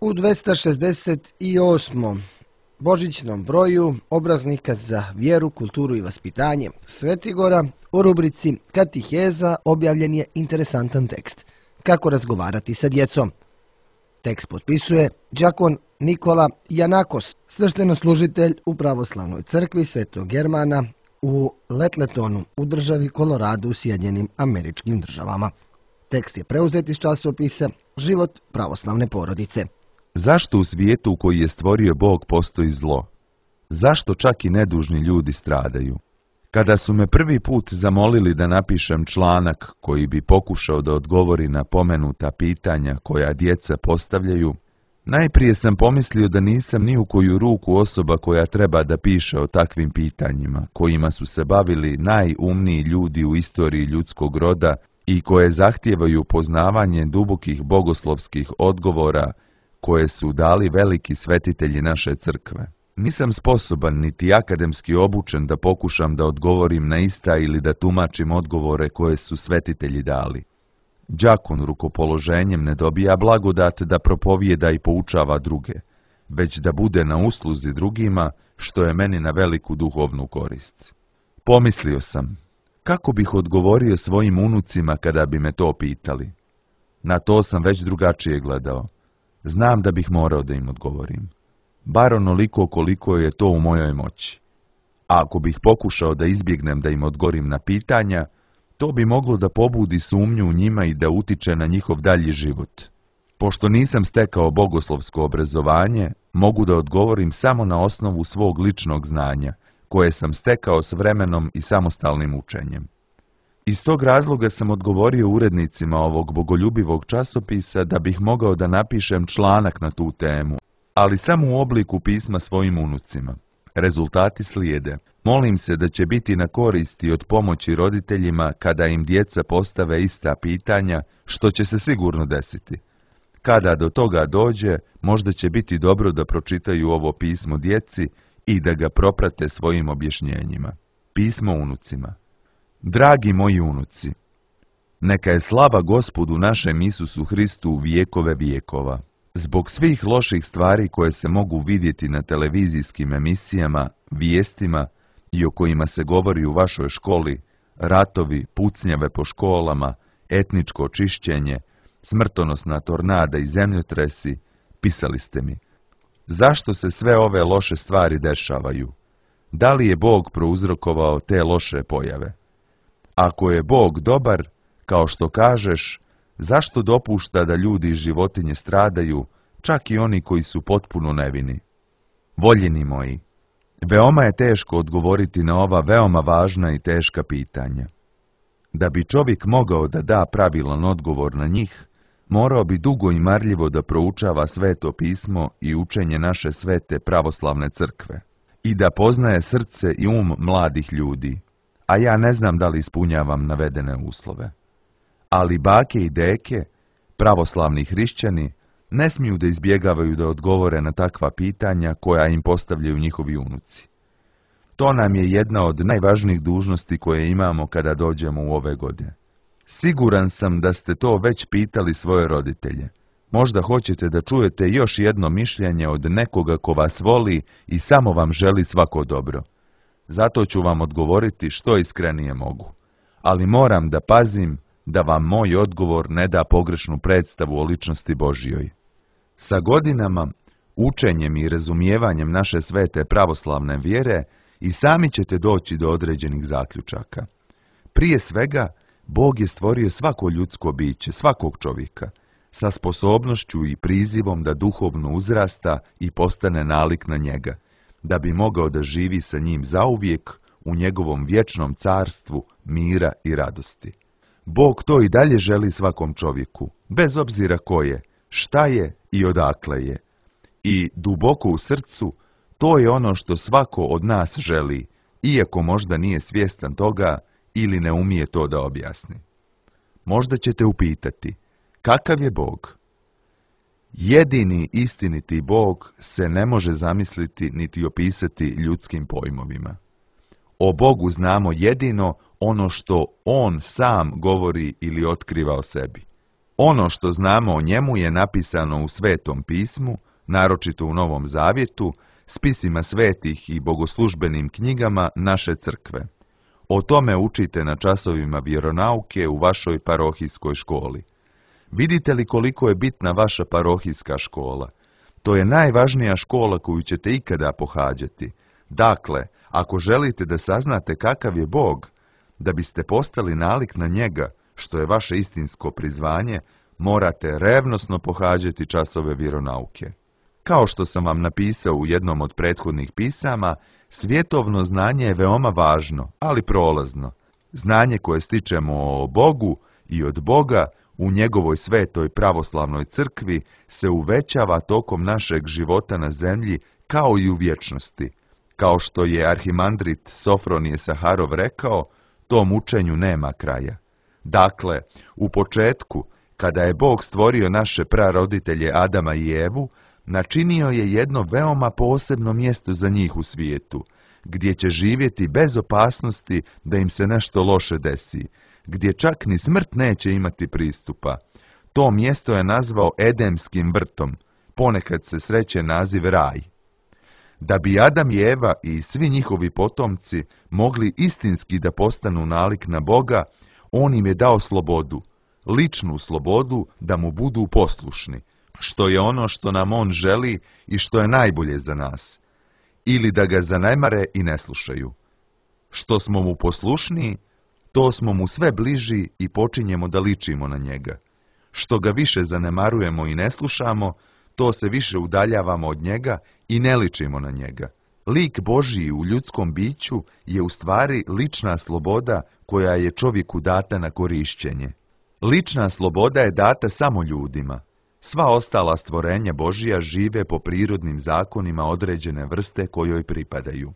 U 268. božićnom broju obraznika za vjeru, kulturu i vaspitanje Svetigora u rubrici Katiheza objavljen je interesantan tekst Kako razgovarati sa djecom. Tekst potpisuje đakon Nikola Janakos, sveštenoslужitelj u pravoslavnoj crkvi Svetog Germana u Letletonu u državi Kolorado u Sjedinjenim Američkim Državama. Tekst je preuzet iz časopisa Život pravoslavne porodice. Zašto u svijetu koji je stvorio Bog postoji zlo? Zašto čak i nedužni ljudi stradaju? Kada su me prvi put zamolili da napišem članak koji bi pokušao da odgovori na pomenuta pitanja koja djeca postavljaju, najprije sam pomislio da nisam ni u koju ruku osoba koja treba da piše o takvim pitanjima, kojima su se bavili najumniji ljudi u istoriji ljudskog roda i koje zahtijevaju poznavanje dubokih bogoslovskih odgovora koje su dali veliki svetitelji naše crkve. Nisam sposoban niti akademski obučen da pokušam da odgovorim na ista ili da tumačim odgovore koje su svetitelji dali. Đakon rukopoloženjem ne dobija blagodat da propovijeda i poučava druge, već da bude na usluzi drugima, što je meni na veliku duhovnu korist. Pomislio sam, kako bih odgovorio svojim unucima kada bi me to pitali? Na to sam već drugačije gledao. Znam da bih morao da im odgovorim. Bar onoliko koliko je to u mojoj moći. A ako bih pokušao da izbjegnem da im odgovorim na pitanja, to bi moglo da pobudi sumnju u njima i da utiče na njihov dalji život. Pošto nisam stekao bogoslovsko obrazovanje, mogu da odgovorim samo na osnovu svog ličnog znanja, koje sam stekao s vremenom i samostalnim učenjem. Iz tog razloga sam odgovorio urednicima ovog bogoljubivog časopisa da bih mogao da napišem članak na tu temu, ali samo u obliku pisma svojim unucima. Rezultati slijede. Molim se da će biti na koristi od pomoći roditeljima kada im djeca postave ista pitanja, što će se sigurno desiti. Kada do toga dođe, možda će biti dobro da pročitaju ovo pismo djeci i da ga proprate svojim objašnjenjima. Pismo unucima. Dragi moji unuci, neka je slava Gospodu našem Isusu Hristu vijekove vijekova. Zbog svih loših stvari koje se mogu vidjeti na televizijskim emisijama, vijestima i o kojima se govori u vašoj školi, ratovi, pucnjave po školama, etničko čišćenje, smrtonosna tornada i zemljotresi, pisali ste mi. Zašto se sve ove loše stvari dešavaju? Da li je Bog prouzrokovao te loše pojave? Ako je Bog dobar, kao što kažeš, zašto dopušta da ljudi i životinje stradaju, čak i oni koji su potpuno nevini? Voljeni moji, veoma je teško odgovoriti na ova veoma važna i teška pitanja. Da bi čovjek mogao da da pravilan odgovor na njih, morao bi dugo i marljivo da proučava sveto pismo i učenje naše svete pravoslavne crkve i da poznaje srce i mladih ljudi, a ja ne znam da li ispunjavam navedene uslove. Ali bake i deke, pravoslavni hrišćani, ne smiju da izbjegavaju da odgovore na takva pitanja koja im postavljaju njihovi unuci. To nam je jedna od najvažnijih dužnosti koje imamo kada dođemo u ove godine. Siguran sam da ste to već pitali svoje roditelje. Možda hoćete da čujete još jedno mišljenje od nekoga ko vas voli i samo vam želi svako dobro. Zato ću vam odgovoriti što iskrenije mogu. Ali moram da pazim da vam moj odgovor ne da pogrešnu predstavu o ličnosti Božjoj. Sa godinama, učenjem i razumijevanjem naše svete pravoslavne vjere i sami ćete doći do određenih zaključaka. Prije svega, Bog je stvorio svako ljudsko biće, svakog čovjeka, sa sposobnošću i prizivom da duhovno uzrasta i postane nalik na njega, da bi mogao da živi sa njim zauvijek u njegovom vječnom carstvu mira i radosti. Bog to i dalje želi svakom čovjeku, bez obzira ko je, šta je i odakle je. I duboko u srcu, to je ono što svako od nas želi, iako možda nije svjestan toga ili ne umije to da objasni. Možda ćete upitati, kakav je Bog? Jedini istiniti Bog se ne može zamisliti niti opisati ljudskim pojmovima. O Bogu znamo jedino ono što On sam govori ili otkriva o sebi. Ono što znamo o njemu je napisano u Svetom pismu, naročito u Novom Zavjetu, spisima svetih i bogoslužbenim knjigama naše crkve. O tome učite na časovima vjeronauke u vašoj parohijskoj školi. Vidite li koliko je bitna vaša parohijska škola? To je najvažnija škola koju ćete ikada pohađati. Dakle, ako želite da saznate kakav je Bog, da biste postali nalik na njega, što je vaše istinsko prizvanje, morate revnosno pohađati časove vjeronauke. Kao što sam vam napisao u jednom od prethodnih pisama, svjetovno znanje je veoma važno, ali prolazno. Znanje koje stičemo o Bogu i od Boga u njegovoj svetoj pravoslavnoj crkvi se uvećava tokom našeg života na zemlji kao i u vječnosti. Kao što je arhimandrit Sofronije Saharov rekao, tom učenju nema kraja. Dakle, u početku, kada je Bog stvorio naše praroditelje Adama i Evu, načinio je jedno veoma posebno mjesto za njih u svijetu, gdje će živjeti bez opasnosti da im se nešto loše desi, gdje čak ni smrt neće imati pristupa. To mjesto je nazvao Edemskim vrtom, ponekad se sreće naziv raj. Da bi Adam i Eva i svi njihovi potomci mogli istinski da postanu nalik na Boga, on im je dao slobodu, ličnu slobodu da mu budu poslušni, što je ono što nam on želi i što je najbolje za nas, ili da ga zanemare i ne slušaju. Što smo mu poslušniji, to smo mu sve bliži i počinjemo da ličimo na njega. Što ga više zanemarujemo i ne slušamo, to se više udaljavamo od njega i ne ličimo na njega. Lik Božiji u ljudskom biću je u stvari lična sloboda koja je čovjeku data na korišćenje. Lična sloboda je data samo ljudima. Sva ostala stvorenja Božija žive po prirodnim zakonima određene vrste kojoj pripadaju.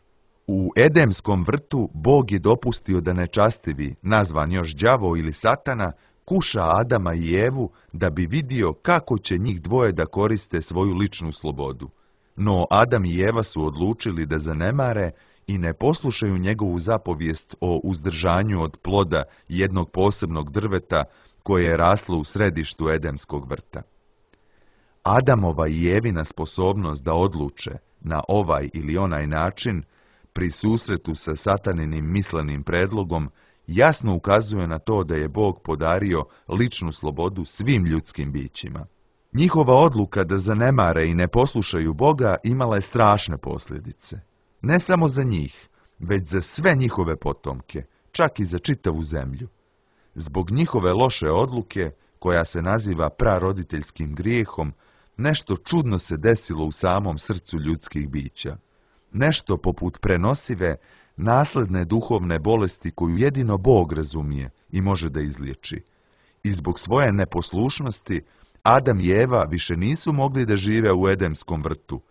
U Edemskom vrtu Bog je dopustio da nečastivi, nazvan još đavo ili satana, kuša Adama i Evu da bi vidio kako će njih dvoje da koriste svoju ličnu slobodu. No Adam i Eva su odlučili da zanemare i ne poslušaju njegovu zapovijest o uzdržanju od ploda jednog posebnog drveta koje je raslo u središtu Edemskog vrta. Adamova i Evina sposobnost da odluče na ovaj ili onaj način pri susretu sa sataninim mislenim predlogom jasno ukazuje na to da je Bog podario ličnu slobodu svim ljudskim bićima. Njihova odluka da zanemare i ne poslušaju Boga imala je strašne posljedice. Ne samo za njih, već za sve njihove potomke, čak i za čitavu zemlju. Zbog njihove loše odluke, koja se naziva praroditeljskim grijehom, nešto čudno se desilo u samom srcu ljudskih bića. Nešto poput prenosive, nasledne duhovne bolesti koju jedino Bog razumije i može da izliječi. I zbog svoje neposlušnosti, Adam i Eva više nisu mogli da žive u Edemskom vrtu,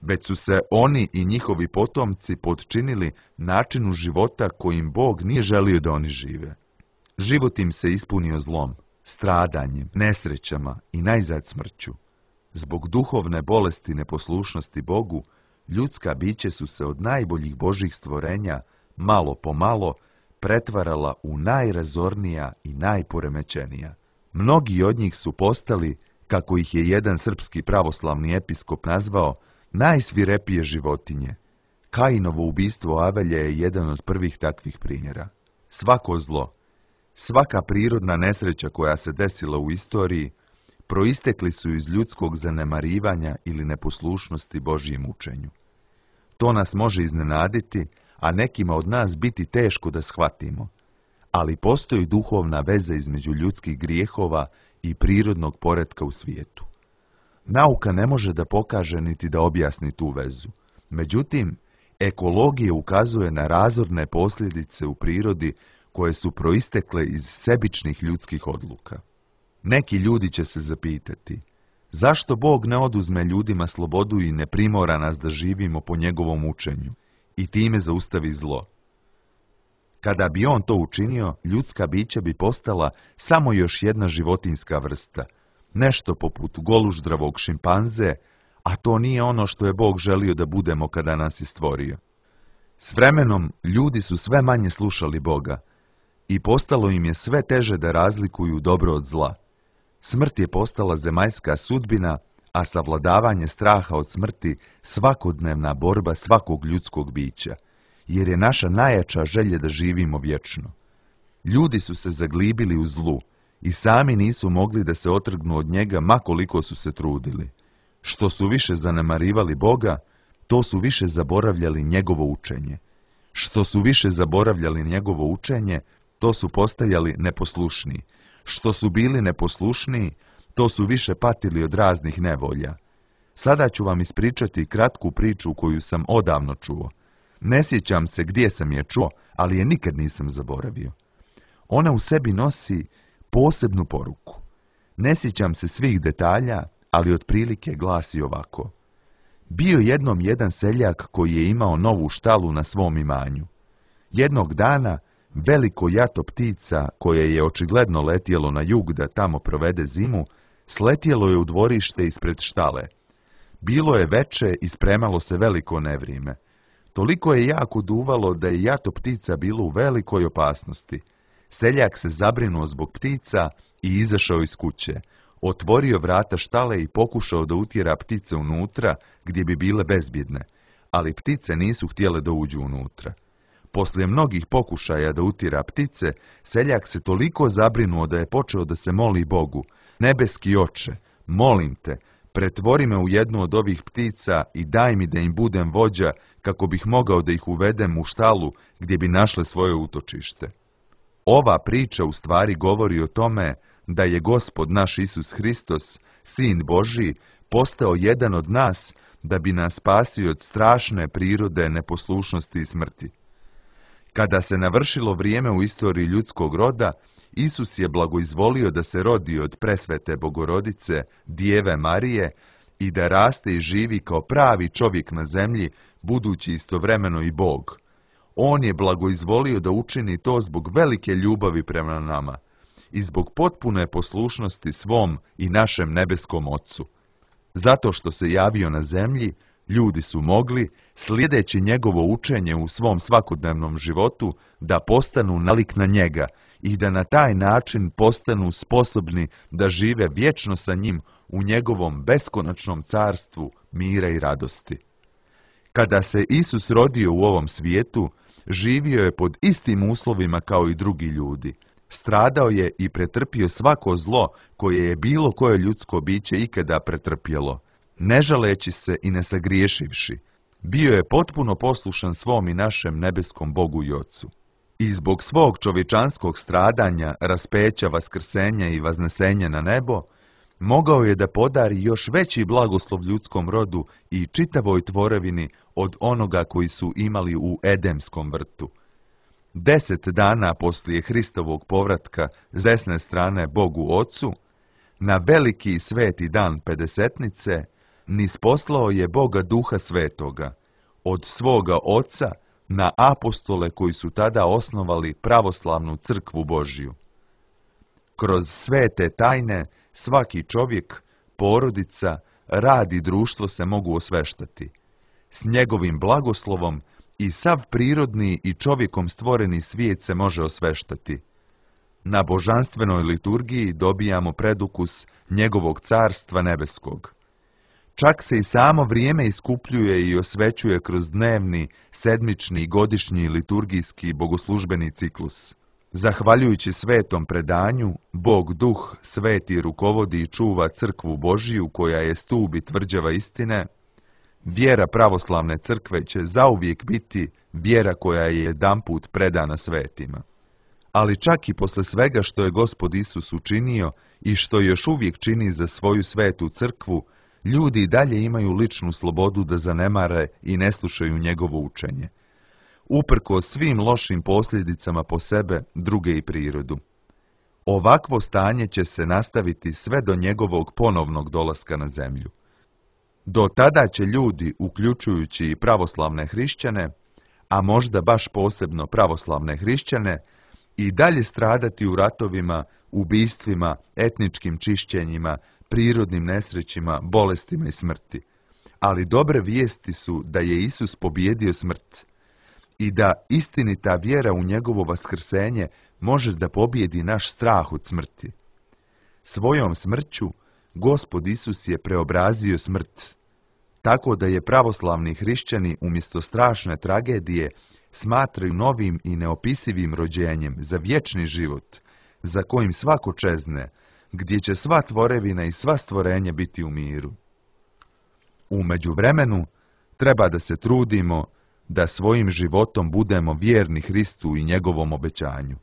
već su se oni i njihovi potomci podčinili načinu života kojim Bog nije želio da oni žive. Život im se ispunio zlom, stradanjem, nesrećama i najzad smrću. Zbog duhovne bolesti neposlušnosti Bogu, ljudska biće su se od najboljih Božjih stvorenja, malo po malo, pretvarala u najrazornija i najporemećenija. Mnogi od njih su postali, kako ih je jedan srpski pravoslavni episkop nazvao, najsvirepije životinje. Kainovo ubistvo Avelje je jedan od prvih takvih primjera. Svako zlo, svaka prirodna nesreća koja se desila u istoriji, proistekli su iz ljudskog zanemarivanja ili neposlušnosti Božjem učenju. To nas može iznenaditi, a nekima od nas biti teško da shvatimo, ali postoji duhovna veza između ljudskih grijehova i prirodnog poretka u svijetu. Nauka ne može da pokaže niti da objasni tu vezu. Međutim, ekologija ukazuje na razorne posljedice u prirodi koje su proistekle iz sebičnih ljudskih odluka. Neki ljudi će se zapitati, zašto Bog ne oduzme ljudima slobodu i ne primora nas da živimo po njegovom učenju i time zaustavi zlo? Kada bi on to učinio, ljudska bića bi postala samo još jedna životinjska vrsta, nešto poput goluždravog šimpanze, a to nije ono što je Bog želio da budemo kada nas je stvorio. S vremenom ljudi su sve manje slušali Boga i postalo im je sve teže da razlikuju dobro od zla. Smrt je postala zemaljska sudbina, a savladavanje straha od smrti svakodnevna borba svakog ljudskog bića, jer je naša najjača želja da živimo vječno. Ljudi su se zaglibili u zlu i sami nisu mogli da se otrgnu od njega ma koliko su se trudili. Što su više zanemarivali Boga, to su više zaboravljali njegovo učenje. Što su više zaboravljali njegovo učenje, to su postajali neposlušniji. Što su bili neposlušniji, to su više patili od raznih nevolja. Sada ću vam ispričati kratku priču koju sam odavno čuo. Ne sjećam se gdje sam je čuo, ali je nikad nisam zaboravio. Ona u sebi nosi posebnu poruku. Ne sjećam se svih detalja, ali otprilike glasi ovako. Bio jednom jedan seljak koji je imao novu štalu na svom imanju. Jednog dana veliko jato ptica, koje je očigledno letjelo na jug da tamo provede zimu, sletjelo je u dvorište ispred štale. Bilo je veče i spremalo se veliko nevrijeme. Toliko je jako duvalo da je jato ptica bilo u velikoj opasnosti. Seljak se zabrinuo zbog ptica i izašao iz kuće. Otvorio vrata štale i pokušao da utjera ptice unutra gdje bi bile bezbjedne, ali ptice nisu htjele da uđu unutra. Poslije mnogih pokušaja da utjera ptice, seljak se toliko zabrinuo da je počeo da se moli Bogu. Nebeski oče, molim te, pretvori me u jednu od ovih ptica i daj mi da im budem vođa kako bih mogao da ih uvedem u štalu gdje bi našle svoje utočište. Ova priča u stvari govori o tome da je Gospod naš Isus Hristos, Sin Božji, postao jedan od nas da bi nas spasio od strašne prirode neposlušnosti i smrti. Kada se navršilo vrijeme u istoriji ljudskog roda, Isus je blagoizvolio da se rodi od presvete Bogorodice, Djeve Marije, i da raste i živi kao pravi čovjek na zemlji, budući istovremeno i Bog. On je blagoizvolio da učini to zbog velike ljubavi prema nama i zbog potpune poslušnosti svom i našem nebeskom Ocu. Zato što se javio na zemlji, ljudi su mogli, slijedeći njegovo učenje u svom svakodnevnom životu, da postanu nalik na njega i da na taj način postanu sposobni da žive vječno sa njim u njegovom beskonačnom carstvu mira i radosti. Kada se Isus rodio u ovom svijetu, živio je pod istim uslovima kao i drugi ljudi. Stradao je i pretrpio svako zlo koje je bilo koje ljudsko biće ikada pretrpjelo, ne žaleći se i ne sagriješivši. Bio je potpuno poslušan svom i našem nebeskom Bogu i Ocu. I zbog svog čovječanskog stradanja, raspeća, vaskrsenja i vaznesenja na nebo, mogao je da podari još veći blagoslov ljudskom rodu i čitavoj tvorevini od onoga koji su imali u Edemskom vrtu. 10 dana poslije Hristovog povratka s desne strane Bogu Ocu, na veliki sveti dan Pedesetnice, nisposlao je Boga Duha Svetoga, od svoga Oca na apostole koji su tada osnovali pravoslavnu crkvu Božju. Kroz svete tajne svaki čovjek, porodica, rad i društvo se mogu osveštati. S njegovim blagoslovom i sav prirodni i čovjekom stvoreni svijet se može osveštati. Na božanstvenoj liturgiji dobijamo predukus njegovog carstva nebeskog. Čak se i samo vrijeme iskupljuje i osvećuje kroz dnevni, sedmični i godišnji liturgijski bogoslužbeni ciklus. Zahvaljujući svetom predanju, Bog Duh sveti rukovodi i čuva crkvu Božiju koja je stup i tvrđava istine. Vjera pravoslavne crkve će zauvijek biti vjera koja je jedanput predana svetima. Ali čak i posle svega što je Gospod Isus učinio i što još uvijek čini za svoju svetu crkvu, ljudi i dalje imaju ličnu slobodu da zanemare i ne slušaju njegovo učenje. Uprkos svim lošim posljedicama po sebe, druge i prirodu. Ovakvo stanje će se nastaviti sve do njegovog ponovnog dolaska na zemlju. Do tada će ljudi, uključujući i pravoslavne hrišćane, a možda baš posebno pravoslavne hrišćane, i dalje stradati u ratovima, ubistvima, etničkim čišćenjima, prirodnim nesrećima, bolestima i smrti. Ali dobre vijesti su da je Isus pobijedio smrt i da istinita vjera u njegovo vaskrsenje može da pobijedi naš strah od smrti. Svojom smrću Gospod Isus je preobrazio smrt, tako da je pravoslavni hrišćani umjesto strašne tragedije smatraju novim i neopisivim rođenjem za vječni život, za kojim svako čezne, gdje će sva tvorevina i sva stvorenja biti u miru. U međuvremenu treba da se trudimo da svojim životom budemo vjerni Hristu i njegovom obećanju.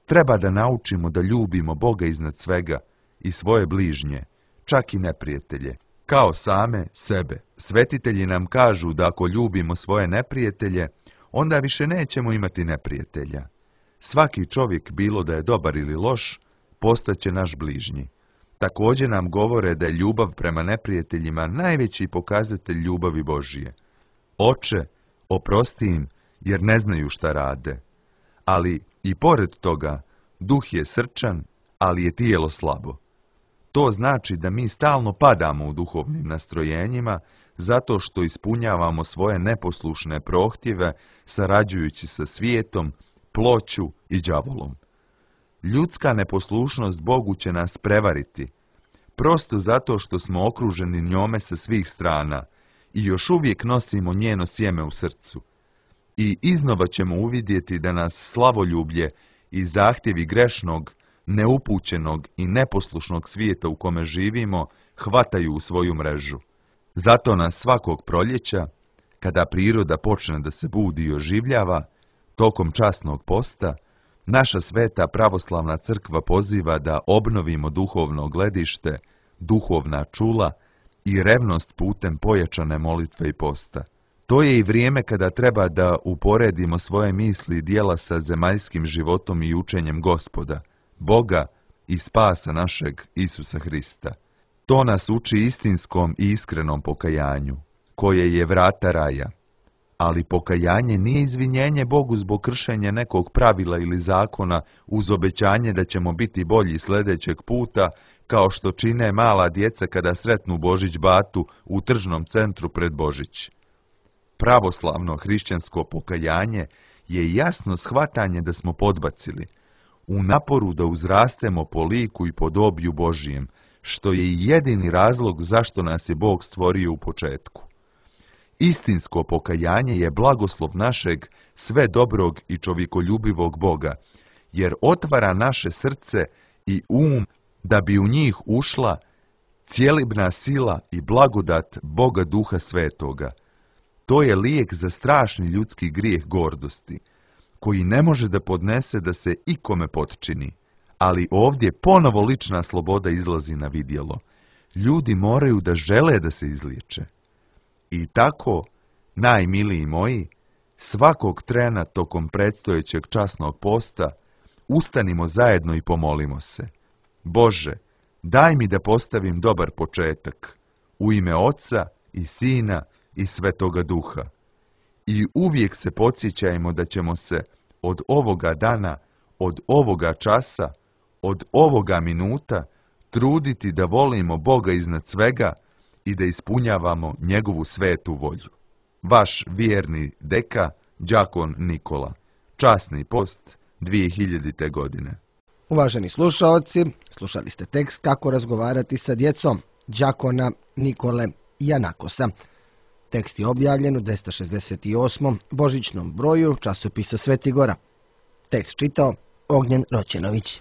Treba da naučimo da ljubimo Boga iznad svega i svoje bližnje, čak i neprijatelje, kao same sebe. Svetitelji nam kažu da ako ljubimo svoje neprijatelje, onda više nećemo imati neprijatelja. Svaki čovjek, bilo da je dobar ili loš, postaće naš bližnji. Također nam govore da je ljubav prema neprijateljima najveći pokazatelj ljubavi Božije. Oče, oprosti im, jer ne znaju šta rade. Ali i pored toga, duh je srčan, ali je tijelo slabo. To znači da mi stalno padamo u duhovnim nastrojenjima, zato što ispunjavamo svoje neposlušne prohtjeve, sarađujući sa svijetom, ploću i đavolom. Ljudska neposlušnost Bogu će nas prevariti, prosto zato što smo okruženi njome sa svih strana i još uvijek nosimo njeno sjeme u srcu. I iznova ćemo uvidjeti da nas slavoljublje i zahtjevi grešnog, neupućenog i neposlušnog svijeta u kome živimo hvataju u svoju mrežu. Zato nas svakog proljeća, kada priroda počne da se budi i oživljava, tokom časnog posta, naša sveta pravoslavna crkva poziva da obnovimo duhovno gledište, duhovna čula i revnost putem pojačane molitve i posta. To je i vrijeme kada treba da uporedimo svoje misli i djela sa zemaljskim životom i učenjem Gospoda, Boga i spasa našeg Isusa Hrista. To nas uči istinskom i iskrenom pokajanju, koje je vrata raja. Ali pokajanje nije izvinjenje Bogu zbog kršenja nekog pravila ili zakona uz obećanje da ćemo biti bolji sljedećeg puta, kao što čine mala djeca kada sretnu Božić batu u tržnom centru pred Božić. Pravoslavno hrišćansko pokajanje je jasno shvatanje da smo podbacili, u naporu da uzrastemo po liku i podobiju Božijem, što je i jedini razlog zašto nas je Bog stvorio u početku. Istinsko pokajanje je blagoslov našeg sve dobrog i čovjekoljubivog Boga, jer otvara naše srce i da bi u njih ušla cjelibna sila i blagodat Boga Duha Svetoga. To je lijek za strašni ljudski grijeh gordosti, koji ne može da podnese da se ikome potčini. Ali ovdje ponovo lična sloboda izlazi na vidjelo. Ljudi moraju da žele da se izliječe. I tako, najmiliji moji, svakog trena tokom predstojećeg časnog posta, ustanimo zajedno i pomolimo se. Bože, daj mi da postavim dobar početak, u ime Oca i Sina i Svetoga Duha. I uvijek se podsjećajmo da ćemo se od ovoga dana, od ovoga časa, od ovoga minuta truditi da volimo Boga iznad svega i da ispunjavamo njegovu svetu volju. Vaš vjerni deka, đakon Nikola. Časni post 2000. godine. Uvaženi slušaoci, slušali ste tekst Kako razgovarati sa djecom đakona Nikole Janakosa. Tekst je objavljen u 268. božićnom broju časopisa Svetigora. Tekst čitao Ognjen Roćenović.